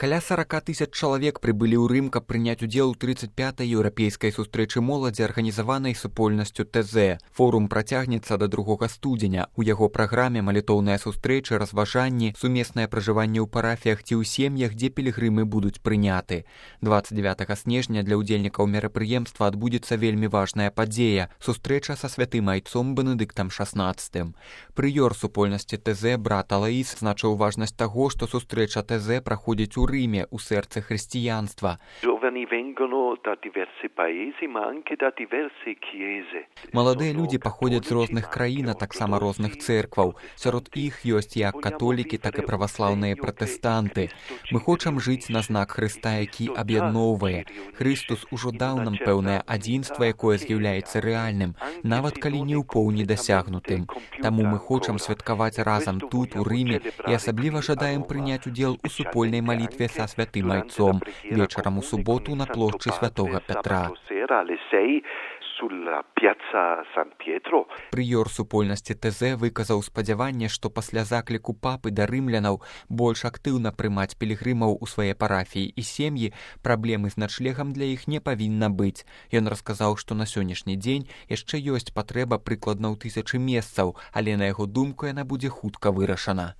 Каля 40 тысяч чалавек прыбылі ў Рым, каб прыняць удзел у 35-й еўрапейскай сустрэчы моладзі, арганізаванай супольнасцю ТЗ. Форум працягнецца да 2 студзеня. У яго праграме малітоўныя сустрэчы, разважанні, сумеснае пражыванне ў парафіях ці ў сем'ях, дзе пілігрымы будуць прыняты. 29 снежня для ўдзельнікаў мерапрыемства адбудзецца вельмі важная падзея – сустрэча са святым айцом Бенедыктам XVI. Прыёр супольнасці ТЗ брат Алаіс значыў важнасць таго, што сустрэча ТЗ праходзіць у Рыме, у сэрцы хрысціянства. Маладыя людзі паходзяць з розных краін, а таксама розных цэркваў. Сярод іх ёсць як католікі, так і праваслаўныя пратэстанты. Мы хочам жыць на знак Хрыста, які аб'ядноўвае. Хрыстус ужо даў нам пэўнае адзінства, якое з'яўляецца рэальным, нават калі не ў поўні дасягнутым. Таму мы хочам святкаваць разам тут, у Рыме, і асабліва жадаем прыняць удзел у супольнай малітве са святым айцом вечарам у суботу на плошчы святога Пятра. Прыёр супольнасці ТЗ выказаў спадзяванне, што пасля закліку папы да рымлянаў больш актыўна прымаць пілігрымаў у свае парафіі і сем'і, праблемы з начлегам для іх не павінна быць. Ён расказаў, што на сённяшні дзень яшчэ ёсць патрэба прыкладна ў 1000 месцаў, але на яго думку яна будзе хутка вырашана.